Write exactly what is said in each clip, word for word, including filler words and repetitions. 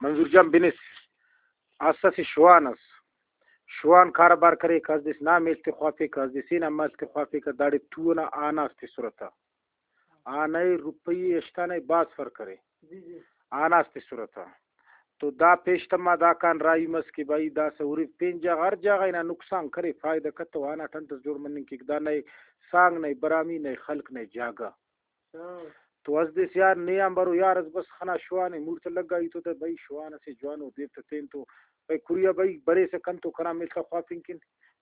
منظور جان بنس، اسہ اسہ شوان اس، شوان کاروبار کریکہ، اس دس نا میل تے خوافیکہ، اس دس اینا میل تے خوافیکہ، داڑے تو ئنا آناس تسرہ تہ۔ آنہ ءِ، روپئی ءِ، ہشت آنہ ءِ، بھاز فرق ارے۔ آناس تسرہ تہ۔ تو دا پیش تما داکان راہی مس کہ بھئی داسہ ہُرو پین جاگہ، ہر جاگہ ہنا نقصان کرے، فائدہ کتو، آناٹ انتس جوڑ مننگ کیک؟ دا نئے سانگ، نئے برامی، نئے خلق، نئے جاگہ۔ تو اس دے یار نے آن برو یار، اس بس خنا شوان ءِ، موڑ تہ لگا ای تو تہ بھئی شوان اسے جوانو دیر تہ تین تو بھئی کھریا بھئی بریسہ کنتو کنا ملخ خوافنگ کن،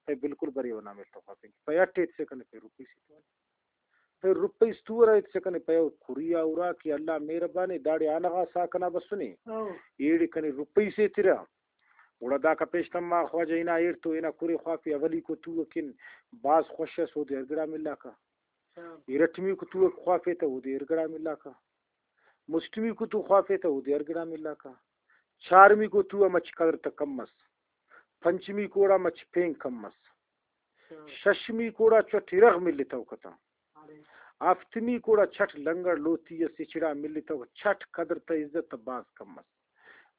بھئی بالکل بریوہ نا ملخ خوافنگ کن، بھئی اٹ ایتسہ کنے پھر روپئی سے تو، پھر روپئی سے تو ارا ایتسہ کنے، پھر او کھریا ارا کہ اللہ مہربانے داڑے آنہ غا سا کنا بسنے، ایڑے کنے روپئی سے تیرا۔ گڑا داکا پیش تما خواجہ ہنا ایڑ تو ہنا کھرے خوافی اولیکو تو کن بھاز خوش ئس، اودے ہر گڑا ملاکہ۔ ارٹمیکو تو خوافیتہ اودے ہر گڑا ملاکہ۔ مسٹمیکو تو خوافیتہ اودے ہر گڑا ملاکہ۔ چارمیکو تو آ مچ قدر تہ کم مس۔ پنچمیکو گڑا مچ پین کم مس۔ ششمیکو گڑا چٹ ارغ ملتوکہ تہ۔ ہفتمیکو گڑا چٹ لنگڑ لوتی اس ہچڑا ملتوکہ، چٹ قدر تہ عزت تہ بھاز کم مس۔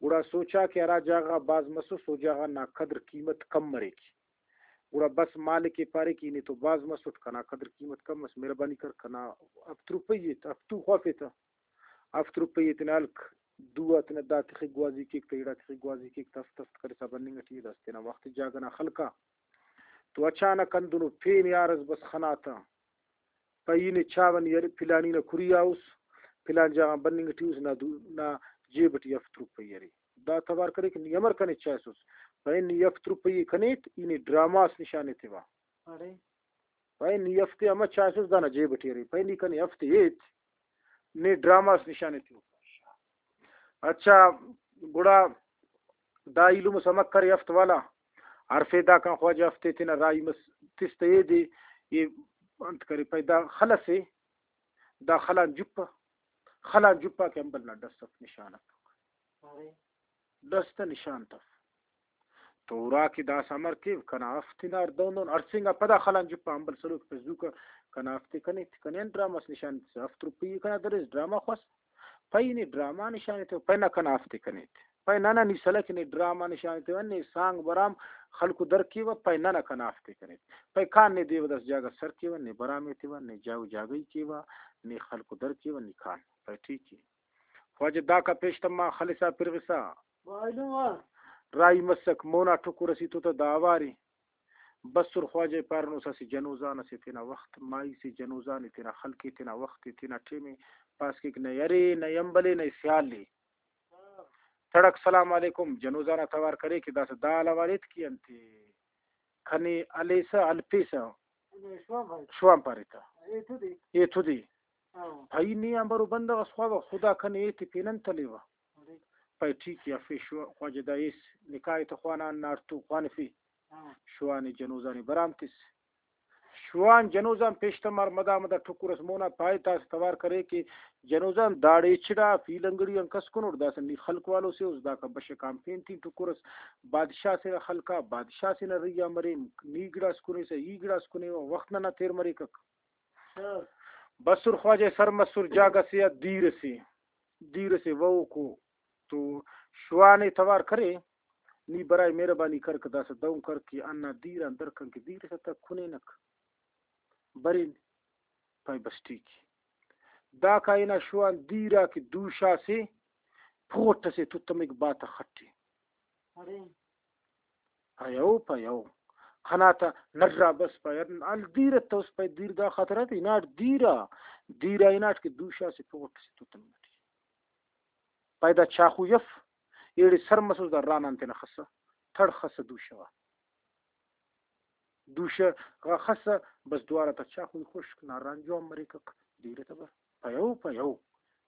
گڑا سوچا کہ ہرا جاگہ غا بھاز مسس او جاگہ نا قدر قیمت کم مریک۔ گڑا بس مالک ءِ پارے کہ ای نے تو بھاز مسٹ، کنا قدر قیمت کم مس، مہربانی کر کنا ہفت روپئی ایت، ہفتو خوافیتہ۔ ہفت روپئی ءِ تینا ہلک، دو آ تینا دا تخک گوازی کیک تہ، ایڑا تخک گوازی کیک تہ، ہفت ہفت کرسا بننگ ٹی ءِ، داسہ تینا وخت جاگہ نا خلکا۔ تو اچانک ہندنو پین یار اس بس خناتہ۔ پائے ای نے چاوہ نی ارے، پلانی نا کھریا اس، پلان جاگہ غان بننگ ٹی اس، نا دو-، نا جیب ٹی ہفت روپئی ارے۔ دا توار کرے کہ نی امر کنے چائسس؟ پائے نی ہفت روپئی ءِ کنے ایت، ای نے ڈرامہ اس نشان ایتیوہ۔ پائے نی ہفتے امر چائسس، دانا جیب ٹی ارے۔ پائے نی کنے ہفتے ایت، نے ڈرامہ اس نشان ایتیوہ۔ اچھا، گڑا دا ایلم اس امر کرے ہفت والا، ہرفے داکان خواجہ ہفتے تینا راہی مس، تس تہ ایدے، ای انت کرے، پائے دا خل اسے، دا خلان جپہ، خلان جپہ کہ امبل نا ڈس اف، نشان اف۔ ڈس تہ نشان تف۔ تو اراکہ داسہ امر کیو، کنا ہفتے نا ہر دہن دہن ہرسینگا پدا خلان جپہ امبل سلوک پہ زوکا کنا ہفتے کنے، کنے آن ڈرامہ اس نشان تسہ، ہفت روپئی کنا دریس ڈرامہ خواس، پائے نے ڈرامہ نشان ایتیوہ، پائے نہ کنا ہفتے کنے ایت۔ پائے نہ نہ نی سلہ کہ نے ڈرامہ نشان ایتیوہ، نے سانگ برام خلکو در کیوہ، پائے نہ نہ کنا ہفتے کنے ایت۔ پائے کان نے دیوہ داسہ جاگہ سر کیوہ، نے برام ایتیوہ، نے جاگہ جاگہی کیوہ، نے خلکو در کیوہ، نی کان۔ پائے ٹھیک ءِ۔ خواجہ داکا پیش تما خلسا پرغسا راہی مسک، مونا ٹکر اسیتو تہ دا اوارے۔ بسر خواجہ ءِ پارینس اسہ جنوزان اسے تینا وخت، مائی سے جنوزان ءِ تینا خلق ءِ تینا وخت ءِ تینا ٹیم ءِ پاس کیک نئے ارے نئے امبل ءِ نئے سیال ءِ۔ تڑک سلام علیکم، جنوزان آ توار کرے کہ داسہ دا حال حوال ایت کہ انت کنے ہلیسہ ہلپیسہ شوان پارے تہ۔ ایتو دے۔ بھئی نے آن برو بندغ اس خواوہ خدا کنے ایتے پین انت ہلیوہ۔ پائے ٹھیک ءِ، ہرفے شو-، خواجہ دا ایس نکاح ءِ تہ خوانان نا ہڑتو خوانفے۔ شوان ءِ جنوزان ءِ برام تس۔ شوان جنوزان پیش تمار مدا مدا ٹکر اس مونا پائے تاس توار کرے کہ جنوزان داڑے ہچڑا پی لنگڑی آن کس کنوٹ، داسہ نی خلق والو سے اس، داکا بشخ آن پین تین ٹکر اس بادشاہ سے نا خلقا، بادشاہ سے نا رہی آ مرین، نی گڑاس کنے سہ ای گڑاس کنے، وخت ننا تیر مریکک۔ بسر خواجہ سر مسر جاگہ سے آ دیر اسے، دیر اسے وہوکو تو شوان ءِ توار کرے، نی برائے مہربانی کر کہ داسہ دہن کر کہ ہندا دیر آن درکن کہ دیر اسے تہ کنینک برین۔ پائے بس ٹھیک ءِ۔ داکا ہنا شوان دیر آ کہ دوشہ اسے پوٹ اسے تتمک باتخ اٹی۔ پائے او، پائے او۔ خناتا نرا بس پائے ہل دیر اتوس، پائے دیر دا خاطر ات، ہناٹ دیر آ، دیر آ ہناٹ کہ دوشہ اسے پوٹ اسے تتمک اٹی۔ پائے دا چاخوئی اف، ایڑے سر مسس دا رانان تینا خسا، تھڑ خسا دوشہ غا۔ دوشہ غا خسا، بس دوارہ تا چاخوئی خشک نا ران جوان مریکک، دیر تبر۔ پائے او، پائے او۔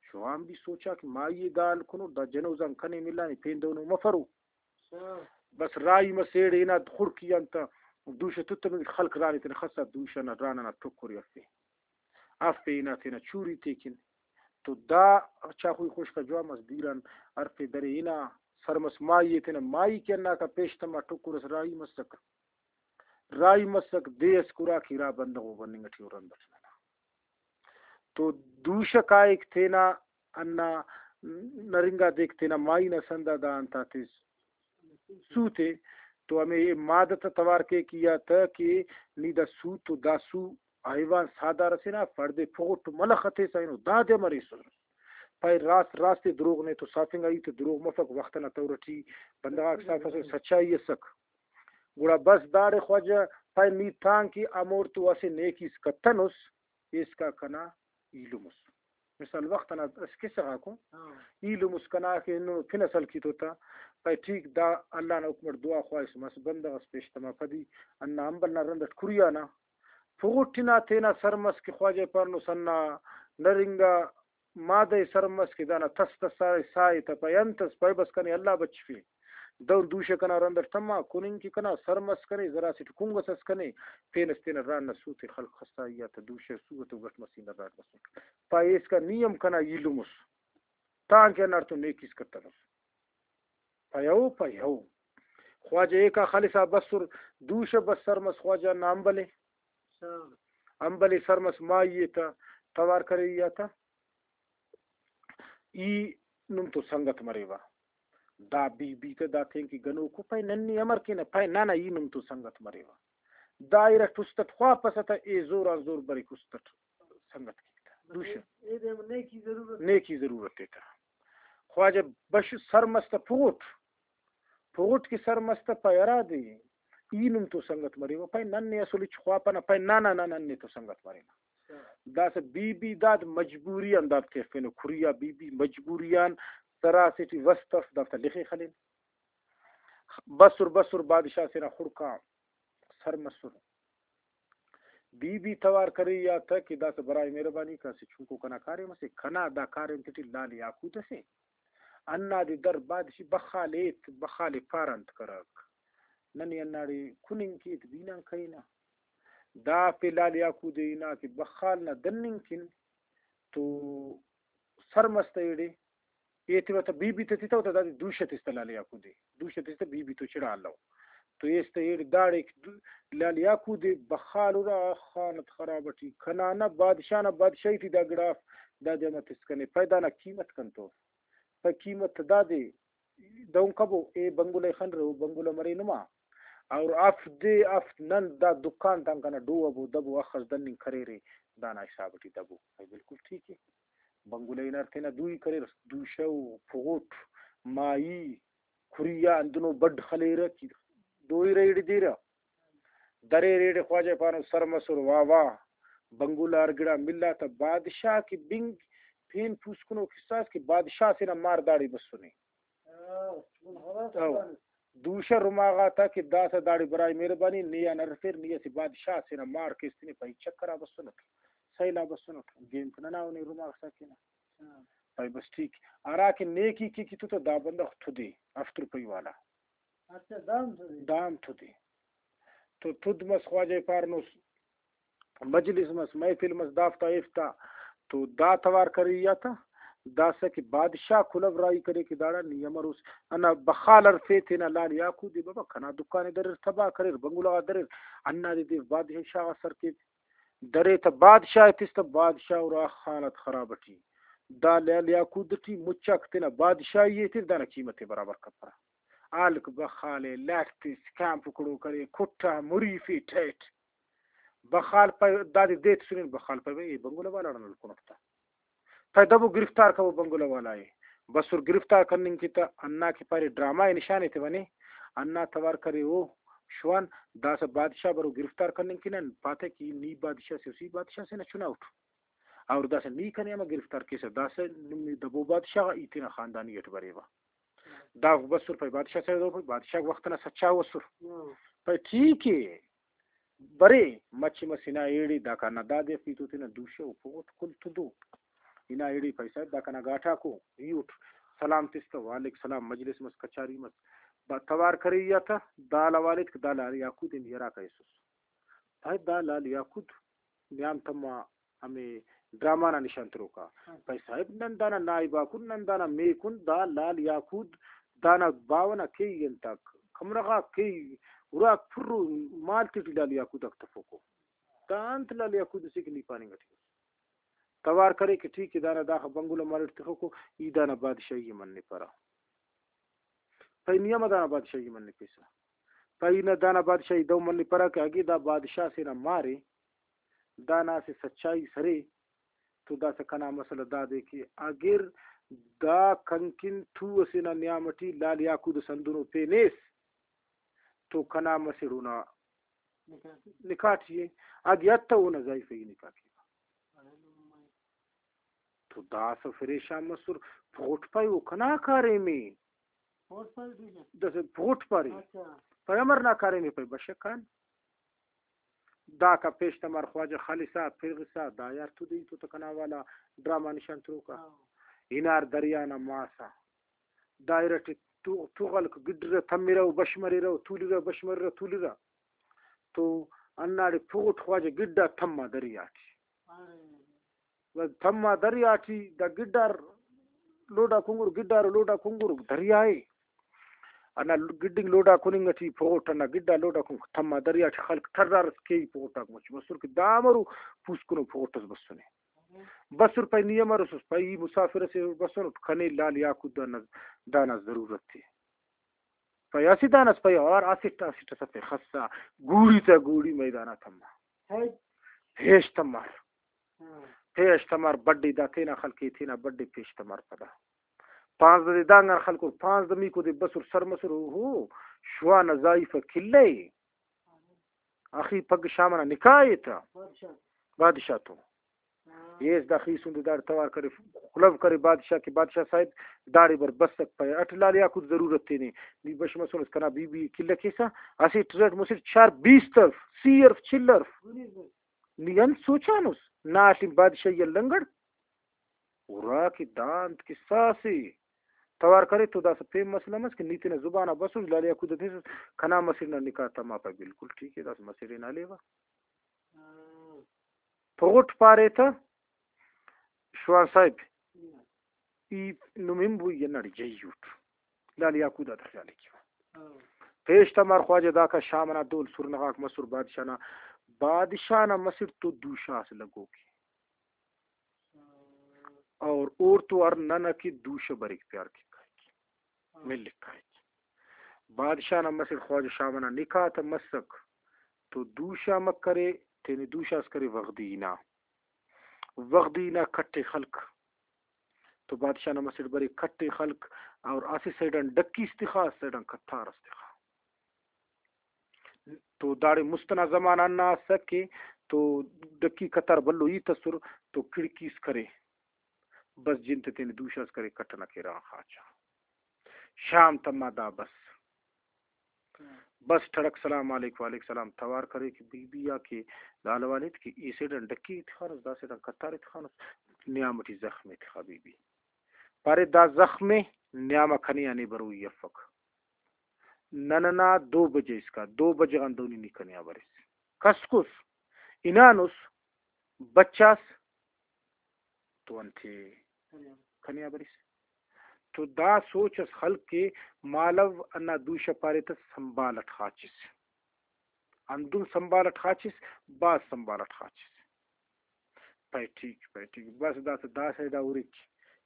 شوان بھی سوچا کہ مائی دا حال کنو، دا جنوزان کنے ملانے، پین دہنو مفرو۔ بس راہی مسیڑ ہنا خڑکی آن تا دوشہ تتمک خلق رانے تینا خسا دوشہ نا ران ئنا ٹکرے افے۔ افے ہنا تینا چوری تیکن۔ تو دا چاخوئی خشک آ جوان مس، دیر آن ہرفے درے ہنا سر مس مائی ئے تینا، مائی کہ ہنداکا پیش تما ٹکر ئس راہی مسک۔ راہی مسک دے ئس کہ اراکہ ارا بندغ و بننگ ئٹی و رند ئٹ ننا۔ تو دوشہ کائک تینا ہندا نرنگا دیک تینا مائی نا سندا دا انت آتے سوت ءِ، تو ہمے مادہ تا توار کیک یا تہ کہ نی دا سوت و دا سو حیوان ساہدار ئسے نا، پڑدے پغٹ ملخ ہتیسہ اینو دادے مریسس۔ پائے راست راست ءِ، دروغ نے تو ساتنگا، ای تو دروغ مفک، وخت ئنا طور ئٹی بندغاک صاف ئسر، سچائی ئسک۔ گڑا بس داڑے خواجہ پائے نی تانکہ ہموڑتو اسہ نیکیس کتنس، ایسکا کنا ایلم اس۔ مثال وخت ئنا اسہ کسہ غاکو، ہاں۔ ایلم اس کنا کہ نن پن ئس ہلکی تو تا، پائے ٹھیک، دا اللہ نا حکم ئٹ دعا خواہس مس، بندغ ئس پیش تما پدی، ہندا امبل نا رند ئٹ کھریانا پغٹ ئنا تینا سر مس کہ خواجہ پانوس ہندا نرنگا مادہ ئے سر مس کہ دانا تس تس سائے، سائے تہ پائے انت ئس، پائے بس کنے اللہ بچفے۔ دہن دوشہ کنا رند ئٹ تما، کُننگ کہ کنا سر مس کنے، ذرا اسیٹ کنگ ئس ئس کنے، پین ئس تینا ران نا سوت ئے خلک خسائی آ تہ دوشہ سو ئتو گٹ مسینہ راڈ مسٹ۔ پائے ایسکا نی ہم کنا ایلم اس، تانکہ ہنداڑتون نیکیس کتنس۔ پائے ہو، پائے ہو۔ خواجہ ایکا خلسا بسر، دوشہ بس سر مس خواجہ نا امبل ئے۔ امبل ئے سر مس مائی ئے تہ توار کرے ای آ تہ۔ ای نم تو سنگت مریوہ۔ دا بی بی تہ دا تینکہ گنوکو پائے ننے امر کینہ، پائے نہ نہ ای نم تو سنگت مریوہ۔ دا ارٹ است ئٹ خواپسہ تہ اے زور آن زور بریک است ئٹ سنگت کیک تہ۔ دوشہ۔ ایدے ہم نیکی ضرورت۔ نیکی ضرورت ءِ تہ۔ خواجہ بش سر مس تہ پغٹ۔ پغٹ کہ سر مس تہ پائے ہرادے ای نم تو سنگت مریوہ، پائے نن نے اسل ہچ خواپنہ، پائے نہ نہ نہ نن نے تو سنگت مرینہ۔ داسہ بی بی داد مجبوری آن داد تخفینو، کھریا بی بی مجبوری آن سراسے ٹی وست اف دافتا لخے خلین۔ بسر بسر بادشاہ سے نا خڑکا سر مسر۔ بی بی توار کرے یا تہ کہ داسہ برائے مہربانی کہ اسہ چنکو کنا کاریم اسے، کنا دا کاریم تیٹی لال یاقوت اسے، ہندادے در بادشی بخال ایت، بخال ءِ پارہ انت کرک۔ ننے ہنداڑے کننگ کیت، بینان کرینہ۔ دافتے لال یاقوت ءِ ہنا کہ بخال نا دننگ کن تو سر مس تہ ایڑے ایتیوہ تہ بی بی تہ تتو تہ دادے دوشہ تس تہ لال یاقوت ءِ۔ دوشہ تس تہ بی بی تو چڑا الو۔ تو ایس تہ ایڑے داڑے دو-، لال یاقوت ءِ بخال ہرا خانت خراب ٹی کنا نہ بادشاہ نا بادشاہی ٹی دا گڑا اف، دادے امر تس کنے، پائے دانا قیمت کنتو؟ پائے قیمت تہ دادے دہن کبو، اے بنگلہ ءِ خنرہ، او بنگلہ مرے نما۔ اور ہفت دے ہفت نن دا دکان تان کنا ڈو ابو دبو اخس دننگ کریرے، دانا حساب ٹی دبو۔ بھائی بالکل ٹھیک ہے۔ بنگلہ ءِ ہنر تینا دوئی کریر، دوشہ و پغٹ، مائی، کھریا ہندنو بڈ خلیرہ کہ دوئی ریڑ دیرہ۔ دریر ایڑے خواجہ پانو سر مسر واہ واہ، بنگلہ ہر گڑا ملا تہ بادشاہ کہ بنگ پین پوسکنو کسہ اس کہ بادشاہ سے نا مار داڑے بسنے۔ او، دوشہ رما غاتا کہ داسہ داڑے برائے مہربانی نے آن ہرفیر، نی اسہ بادشاہ سے نا مار کیس تینے پائے چکر آ بسنٹ، سیل آ بسنٹ، گیم تہ ننا اونے رما غسا کینہ۔ پائے بس ٹھیک، ہرا کہ نیکی کے کیتو تہ دا بندغ تدے ہفت روپئی والا۔ اچھا، دا ہم تدے۔ دا ہم تدے۔ تو تد مس خواجہ پارنس، مجلس مس، محفل مس، دافتا ایفتا تو دا توار کرے یا تہ داسہ کہ بادشاہ کلہو راہی کرے کہ داڑان نی امروس؟ ہندا بخال ہرفے تینا لال یاقوت ءِ، بابا کنا دکان ءِ دریر، تباہ کریر، بنگلہ غا دریر، ہندادے دے بادشاہ غا سر کیو۔ درے تہ بادشاہ ءِ تس تہ بادشاہ ہرا حالت خراب ٹی۔ دا لال یاقوت ٹی مچاک تینا بادشاہی ایتر دانا قیمت ءِ برابر کپرہ۔ ہلک بخال ءِ لٹ تس کان پکڑو کرے، کٹا مریفے ٹیٹ۔ بخال پائے دادے دے تسنن، بخال پائے بھئی اے بنگلہ والا ہڑان ہلکنٹ تا۔ پائے دبو گرفتار کبو بنگلہ والا ءِ۔ بسر گرفتار کننگ کہ تہ ہندا کہ پارے ڈرامہ ءِ نشان ایتیوہ نے، ہندا توار کرے او شوان، داسہ بادشاہ برو گرفتار کننگ کہ نن پاتہ کہ نی بادشاہ سے اسی بادشاہ سے نا چنا اٹ۔ اور داسہ نی کنے امر گرفتار کیسہ، داسہ نم دبو بادشاہ غا ای تینا خاندانی اٹ بریوہ۔ دافک بسر پائے بادشاہ صاحب دو پائے بادشاہ وخت ئنا سچاؤ اسر۔ ہاں۔ پائے ٹھیک ہے، برے مچہ مس ہنا ایڑے داکان نا دادے افی تو تینا دوشہ و پغٹ کل تدو۔ ہنا ایڑے پائے صاحب دا کنا گاٹاکو ای اٹ۔ سلام تس تہ، وعلیک سلام، مجلس مس، کچاری مس۔ با توار کرے یا تہ دا لوالد کہ دا لال یاقوت ءِ ہراکا ایسس۔ پائے دا لال یاقوت نیام تما ہمے ڈرامہ نا نشان تروکا۔ ہاں۔ پائے صاحب نن دانا نائب آکن، نن دانا میکن، دا لال یاقوت دانا باوہ نا کیہی انتاک، کمرہ غاک کیہی، اراک پرو مال تیٹی لال یاقوت آک تفوکو۔ دا انت لال یاقوت اسے کہ نی پاننگ ٹی اس؟ توار کرے کہ ٹھیک ءِ، دانا داخہ بنگلہ مالٹ تخوکو، ای دانا بادشاہی ءِ منپرہ۔ پائے نی ہم دانا بادشاہی ءِ منپیسہ۔ پائے ای نا دانا بادشاہی دہو منپرہ کہ اگہ دا بادشاہ سے نا مارے، دانا اسہ سچائی سرے، تو داسہ کنا مسئلہ دادے کہ اگر دا کنکن ٹو ئسے نا نیام ٹی لال یاقوت ئس ہندنو پین ایس، تو کنا مسڑ اونا نکاح ٹی ءِ، اگہ اتو اونا زائیفہ ای نکاح کیوہ۔ تو داسہ فریشان مسر، پغٹ پائے او کنا کاریم ءِ۔ داسہ پغٹ پارے۔ پائے امر نا کاریم ءِ؟ پائے بشخ خان۔ داکا پیش تمار خواجہ خالصا، پرغسا، دا یار تو دے تو تہ کنا والا ڈرامہ نشان تروکا۔ ہنار دریا نا ماسا۔ دا ارٹی تو-، تغلک گڈرہ، تمرہ و بش مریرہ و تولیرہ، بش مریرہ تولیرہ۔ تو ہنداڑے پغٹ خواجہ گڈا تما دریا ٹی۔ و تما دریا ٹی دا گڈار لوڈا کنگر، گڈار لوڈا کنگر دریا ءِ۔ ہندا گڈنگ لوڈا کننگ ٹی پغٹ ہندا گڈا لوڈا کنگ تما دریا ٹی خلک ترار اس کیہی پغٹاک مچ بسر کہ دا امرو پوسکنو پغٹ اس بسنے۔ بسر پائے نی امر اسس؟ پائے ای مسافر اسے بسنٹ، کنے لال یاقوت دانا، دانا ضرورت ءِ۔ پائے اسہ دانس پائے اوار اسٹ اسٹ ئسے پائے خسا گوڑی تا گوڑی میدان آ تما۔ پیش تمار۔ پیش تمار بڈے دا تینا خلق ءِ، تینا بڈے پیش تمار پدا۔ پانزدہ دے دانگان خلکر، پانزدہ میکو دے بسر سر مسر، اوہو، شوان نا زائیفہ کلہ ءِ۔ آخی پگہ شام ئنا نکاح ءِ تہ۔ بادشاہ۔ بادشاہ تو۔ ہاں۔ ایس دا خیسن دے داڑے توار کرے، خلو کرے بادشاہ کہ بادشاہ صاحب داڑے بر بسک پائے۔ اٹ لال یاقوت ضرورت تینے۔ نی بش مسونس کنا بی بی کلہ کیسہ۔ اسٹ ارٹ مسٹ چار بیست الف، سی الف، چل الف۔ نی انت سوچانس؟ ناٹی بادشاہی آ لنگڑ۔ ہرا کہ دا انت کسہ اسے۔ توار کرے تو داسہ پین مسئلہ مس کہ نی تینا زبان آ بسوس، لال یاقوت آ تسوس، کنا مسڑ نا نکاح تما۔ پائے بالکل ٹھیک ءِ، داسہ مسڑ ئے نا لیوہ۔ پغٹ پارے تہ، شوان صاحب، ای نم ہنبو، ای ہنداڑے جئی اٹ۔ لال یاقوت آتا خیال ءِ کیوہ۔ پیش تمار خواجہ داکا شام ئنا دول سرنہ غاک مسر بادشاہ نا، بادشاہ نا مسڑ تو دوشہ اس لگوک ءِ۔ اور اوڑتو ہر نن ئکہ دوشہ بریک پیار کیک کائک، ملک کائک۔ بادشاہ نا مسڑ خواجہ شام ئنا نکاح تہ مسک، تو دوشہ امر کرے، تینے دوشہ اس کرے وغدی نا۔ وغدی نا کٹ ئے خلک۔ تو بادشاہ نا مسڑ بریک کٹ ئے خلک، اور اسہ سائیڈ آن ڈکی اس تخا، اسہ سائیڈ آن قطار اس تخا۔ تو داڑے مست ئنا زمانہ ہندا اسک کہ تو ڈکی قطار بھلو ہیت ئسر، تو کھڑکی اس کرے، بس جن تے تینے دوشہ اس کرے، کٹ ئنا کیرغ آن خاچا۔ شام تما دا بس۔ بس ٹڑک سلام علیک وعلیک سلام توار کرے کہ بی بی آ کہ دا حوال ایت کہ ای سیڈ آن ڈکی ایتخانس، دا سیڈ آن قطار ایتخانس، نیام ٹی زخم ایتخا بی بی۔ پارے دا زخم ءِ، نیام آ کنے آ نے بروئی افک۔ نن ئنا دو بجہ اسکا، دو بجہ غان دہنی نی کنے آ بریس۔ کسکس، ہنانس، بچاس، تو انتے کنے آ بریس۔ تو دا سوچ اس خلک کہ مالو ہندا دوشہ پارے تہ سنبھال اٹ خاچس۔ ہندن سنبھال اٹ خاچس، بھاز سنبھال اٹ خاچس۔ پائے ٹھیک، پائے ٹھیک، بس داسہ دا سائیڈ آ ہُرک،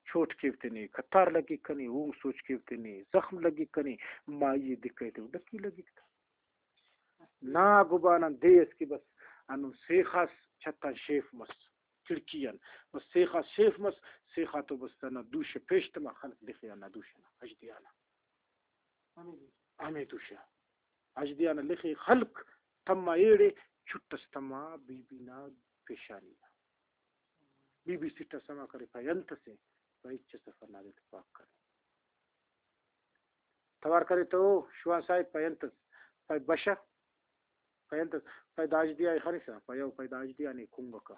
چوٹ کیو تینے، قطار لگک کنے، اونگ سوچ کیو تینے، زخم لگک کنے، مائی ءِ دکہ تے ڈکی لگک تہ۔ نا گبان آن دے اس کہ بس ہندن سیخاس چھت آن شیف مس، کھڑکی آن بس سیخاس شیف مس، سیخا تو بس ہندا دوشہ پیش تما خلک لخے ہندا دوشہ نا، اژدیا نا۔ ہمے دوشہ۔ اژدیا نا لخے خلک تما ایڑے چٹ ئس تما بی بی نا پیشانی نا۔ بی بی سٹ ئس سما کرے، پائے انت ئسے، پائے ہچ ئس اف، ہندادے ٹی پاک کرے۔ توار کرے تہ او شوان صاحب، پائے انت ئس، پائے بشہ، پائے انت ئس، پائے دا اژدیا ءِ خنسہ، پائے او، پائے دا اژدیا نے کنگکہ۔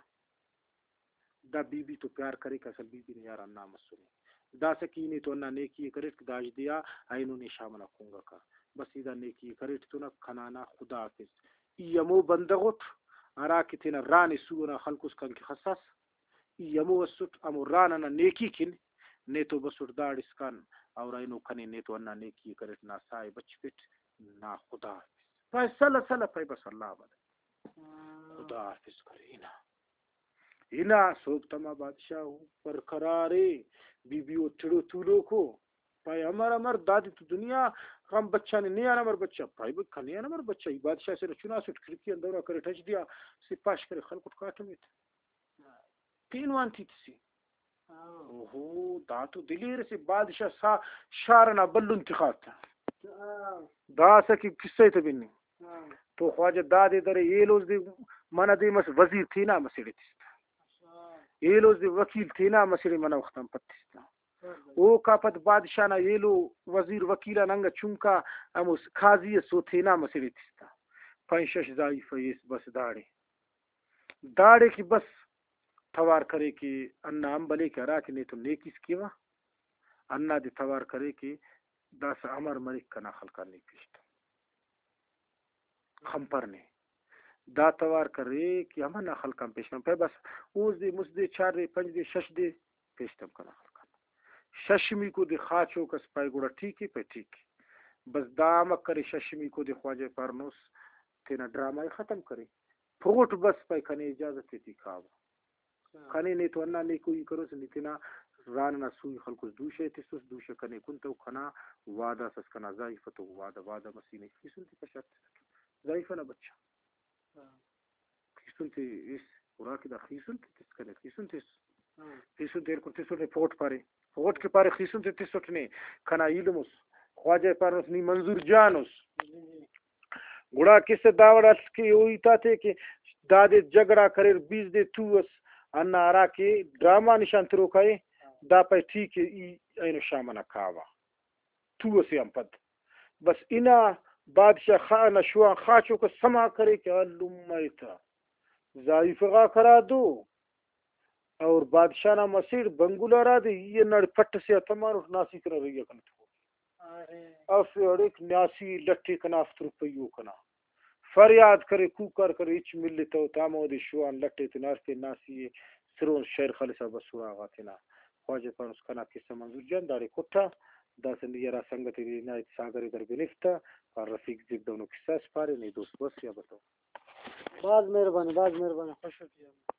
دا بی بی تو پیار کریکہ، اصل بی بی نے یار ہندا مسنے۔ داسہ کہ ای نے تو ہندا نیکی ءِ کریٹ کہ دا اژدیا اینو نے شام ئنا کنگکہ۔ بس ای دا نیکی ءِ کریٹ تو نا، کنا نا خدا حافظ۔ ای ہمو بندغ اٹ ہرا کہ تینا ران ءِ سو ئنا خلکوس کن کہ خساس۔ ای ہمو اسٹ، ہمو ران ئنا نیکی کن نے تو بسٹ داڑسکان، اور اینو کنے نے تو ہندا نیکی ءِ کریٹ، نا ساہ ءِ بچفٹ، نا خدا حافظ۔ پائے سلہ سلہ پائے بس اللہ آباد۔ خدا حافظ کرے نا۔ ہنا سوب تما بادشاہ ءُ پر قرارے، بی بی او ٹڑو تولوکو۔ پائے، امر امر دادے تو دنیا غم بچانے، نے آن امر بچا؟ پائے، بھئی، کنے آن امر بچا؟ ای بادشاہ سے چناسٹ کھڑکی آن دورہ کرے، ٹچ دیا، سے پاش کرے، خلکٹ کاٹمیت۔ پین وانتی تسی۔ اوہو، دا تو دلیر سے بادشاہ سا شار ئنا بھلن تخاتا۔ داسہ کہ قصہ تے بننگ۔ تو خواجہ دادے درے ایلوز دے منہ دے مس وزیر تینا مسڑے تستا۔ ایلوز دے وکیل تینا مسڑے منہ وختان پتستا۔ اوکا پد بادشاہ نا ایلو وزیر وکیل آن انگا چنکا ہمو قاضی ئس او تینا مسڑے تستا۔ پنچ شش زائیفہ ایس بس داڑے۔ داڑے کہ بس توار کرے کہ ہندا امبلے کہ ہرا کہ نیتون نیکیس کیوہ، ہندادے توار کرے کہ داسہ امر مریک کنا خلقان نے پیش تم۔ خنپر نے۔ دا توار کرے کہ ہمنا خلقان پیش تم۔ پائے بس اوز دے مست دے چار دے پنچ دے شش دے پیش تم کنا خلقان۔ ششمیکو دے خاچوک ئس پائے گڑا ٹھیک ءِ، پائے ٹھیک ءِ۔ بس دا امر کرے ششمیکو دے خواجہ پارنوس تینا ڈرامہ ءِ ختم کرے۔ پروٹ بس پائے کنے اجازت ایتی کاوہ۔ کنے نے تو ہندا نیکوئی کروس، نی تینا زان ئنا سوئی خلکوس، دوشہ ءِ تسوس، دوشہ کنے کنتو کنا وعدہ اس ئس کنا زائیفہ تو وعدہ، وعدہ مسینہ خیسن تے کشار تسٹ۔ زائیفہ نا بچہ۔ خیسن تے اس، اراکہ دا خیسن تے تس کنے، خیسن تس۔ خیسن تے ہلکر تسٹ نے پوٹ پارے۔ پوٹ کہ پارے خیسن تے تسٹ نے، کنا ایلم اس۔ خواجہ پارے اس نی منظور جان اس۔ گڑا کسہ داوڑ اس کہ او ہیت آتے کہ دادے جھگڑا کریر، بیس دے تو اس، ہندا ہرا کہ ڈرامہ نشان تروکا ءِ، دا پائے ٹھیک ءِ، ای اینو شام ئنا کاوہ۔ تو اسے آن پد بس ہنا بادشاہ خا-، نا شوان خاچوک اس سما کرے کہ الم ایتا زائیفہ غاک ہرا دو اور بادشاہ نا مسڑ بنگلہ ہرا دے، ای ہنداڑے پٹ ئسے آ تمانٹ، ناسی کنا رہی آ کنے تخوٹ۔ اسہ اڑیک ناسی لٹ ءِ کنا ہفت روپئی او کنا۔ فریاد کرے، کوکار کرے، ہچ ملتو تا ہمودے شوان لٹ ءِ تینا ہرفے ناسی ءِ سرون شئیر خلسا بس اراغا تینا۔ خواجہ پانوس کنا قصہ منظور جان داڑے کٹا، داسہ نی ہرا سنگت ءِ عنایت ساگر ءِ در بنفتا، پار رفیق زیب دہنو قصہ اس پارے، نے دوست بس یا بتو۔ بھاز مہربانی، بھاز مہربانی، خوش ہو کیا۔